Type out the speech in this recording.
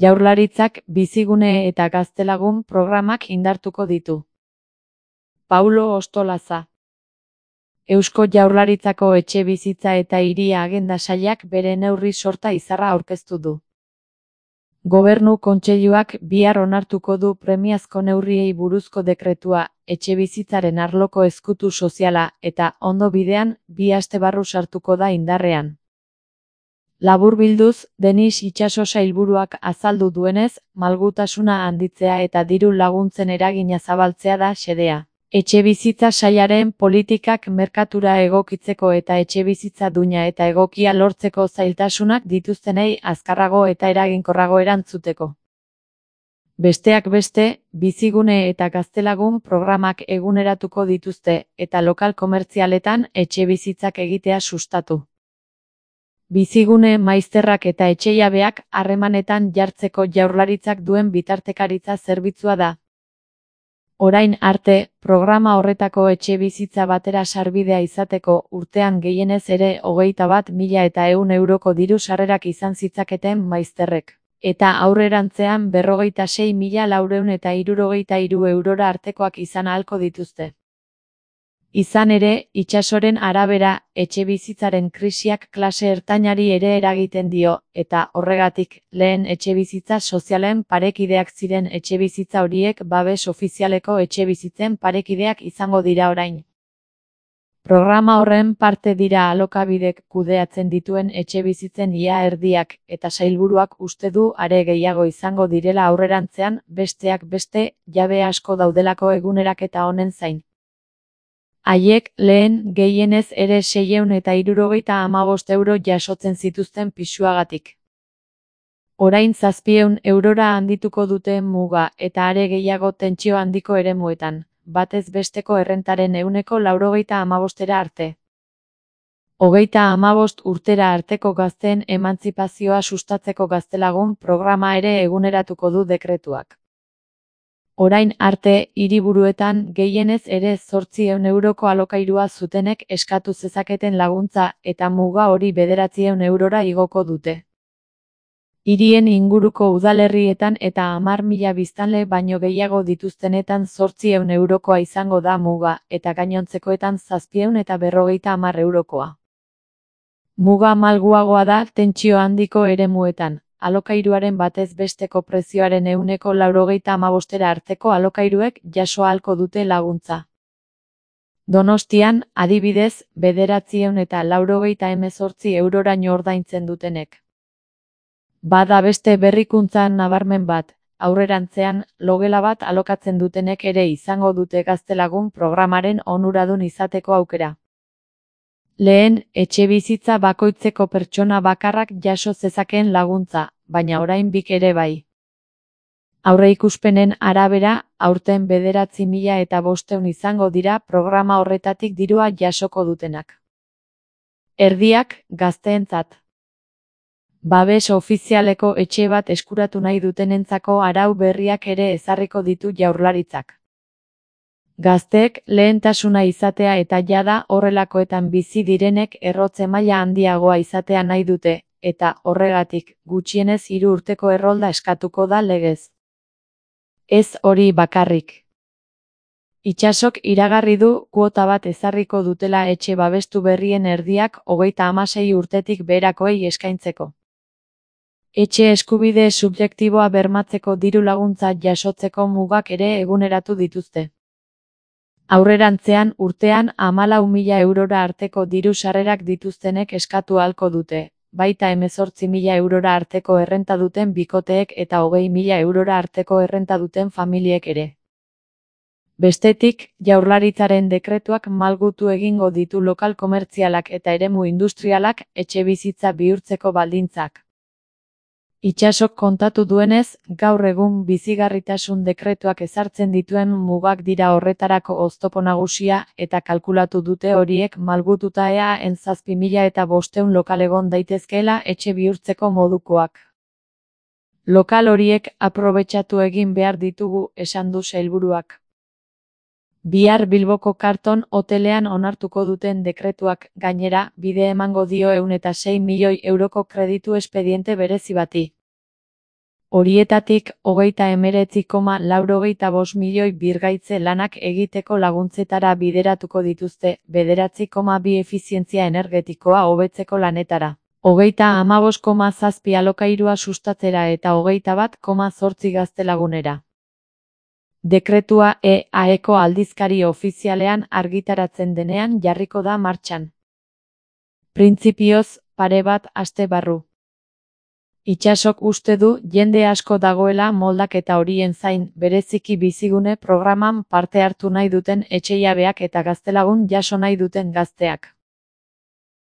Jaurlaritzak Bizigune eta Gaztelagun programak indartuko ditu. Paulo Ostolaza. Eusko Jaurlaritzako Etxebizitza eta Hiria Agenda Sailak bere neurri sorta izarra aurkeztu du. Gobernu Kontseiluak bihar onartuko du premiazko neurriei buruzko dekretua, etxebizitzaren arloko ezkutu soziala eta ondo bidean 2 aste barru sartuko da indarrean. Laburbilduz, Denis Itxaso sailburuak azaldu duenez, malgutasuna handitzea eta diru laguntzen eragina zabaltzea da xedea. Etxebizitza sailaren politikak merkatura egokitzeko eta etxebizitza duina eta egokia lortzeko zailtasunak dituztenei azkarrago eta eraginkorrago erantzuteko. Besteak beste, Bizigune eta Gaztelagun programak eguneratuko dituzte eta lokal komertzialetan etxebizitzak egitea sustatu. Bizigune maizterrak eta etxejabeak harremanetan jartzeko Jaurlaritzak duen bitartekaritza zerbitzua da. Orain arte, programa horretako etxebizitza batera sarbidea izateko urtean gehienez ere 21.100 euroko diru sarrerak izan zitzaketen maizterrek, eta aurrerantzean 56.463 eurora artekoak izan ahalko dituzte. Izan ere, Itxasoren arabera, etxebizitzaren krisiak klase ertainari ere eragiten dio, eta horregatik, lehen etxebizitza sozialen parekideak ziren etxebizitza horiek babes ofizialeko etxebizitzen parekideak izango dira orain. Programa horren parte dira Alokabidek kudeatzen dituen etxebizitzen ia erdiak, eta sailburuak uste du are gehiago izango direla aurrerantzean, besteak beste, jabe asko daudelako eguneraketa honen zain. Haiek lehen gehienez ere 675 euro jasotzen zituzten pisuagatik. Orain 700 eurora handituko dute muga eta are gehiago tentsio handiko eremuetan, batez besteko errentaren 95%era arte. 35 urtera arteko gazteen emantzipazioa sustatzeko Gaztelagun programa ere eguneratuko du dekretuak. Orain arte, hiriburuetan gehienez ere 800 euroko alokairua zutenek eskatu zezaketen laguntza eta muga hori 900 eurora igoko dute. Hirien inguruko udalerrietan eta 10.000 biztanle baino gehiago dituztenetan 800 eurokoa izango da muga eta gainontzekoetan 750 eurokoa. Muga malguagoa da tentsio handiko eremuetan. Alokairuaren batez besteko prezioaren 195% arteko alokairuek jaso ahalko dute laguntza. Donostian, adibidez, 918 euroraino ordaintzen dutenek. Bada beste berrikuntza nabarmen bat, aurrerantzean, logela bat alokatzen dutenek ere izango dute Gaztelagun programaren onuradun izateko aukera. Lehen, etxebizitza bakoitzeko pertsona bakarrak jaso zezakeen laguntza, baina orain bik ere bai. Aurreikuspenen arabera, aurten 9.500 izango dira programa horretatik dirua jasoko dutenak. Erdiak, gazteentzat. Babes ofizialeko etxe bat eskuratu nahi dutenentzako arau berriak ere ezarriko ditu Jaurlaritzak. Gazteek lehentasuna izatea eta jada horrelakoetan bizi direnek errotze maila handiagoa izatea nahi dute, eta horregatik gutxienez 3 urteko errolda eskatuko da legez. Ez hori bakarrik. Itxasok iragarri du kuota bat ezarriko dutela etxe babestu berrien erdiak 36 urtetik beherakoei eskaintzeko. Etxe eskubide subjektiboa bermatzeko diru laguntza jasotzeko mugak ere eguneratu dituzte. Aurrerantzean urtean 14.000 eurora arteko diru sarrerak dituztenek eskatu ahalko dute, baita 18.000 eurora arteko errenta duten bikoteek eta 20.000 eurora arteko errenta duten familiek ere. Bestetik, Jaurlaritzaren dekretuak malgutu egingo ditu lokal komertzialak eta eremu industrialak etxebizitza bihurtzeko baldintzak. Itxasok kontatu duenez, gaur egun bizigarritasun dekretuak ezartzen dituen mugak dira horretarako oztopo nagusia eta kalkulatu dute horiek malgututa eaen 7.500 lokal egon daitezkeela etxe bihurtzeko modukoak. Lokal horiek aprobetxatu egin behar ditugu, esan du sailburuak. Bihar Bilboko Karton hotelean onartuko duten dekretuak, gainera, bide emango dio 106 milioi euroko kreditu espediente berezi bati. Horietatik, 39,85 milioi birgaitze lanak egiteko laguntzetara bideratuko dituzte, 9,2 efizientzia energetikoa hobetzeko lanetara, 35,7 alokairua sustatzera eta 21,8 gaztelagunera. Dekretua EAeko aldizkari ofizialean argitaratzen denean jarriko da martxan. Printzipioz, pare bat aste barru. Itsasok uste du jende asko dagoela moldaketa horien zain, bereziki bizigune programan parte hartu nahi duten etxejabeak eta gaztelagun jaso nahi duten gazteak.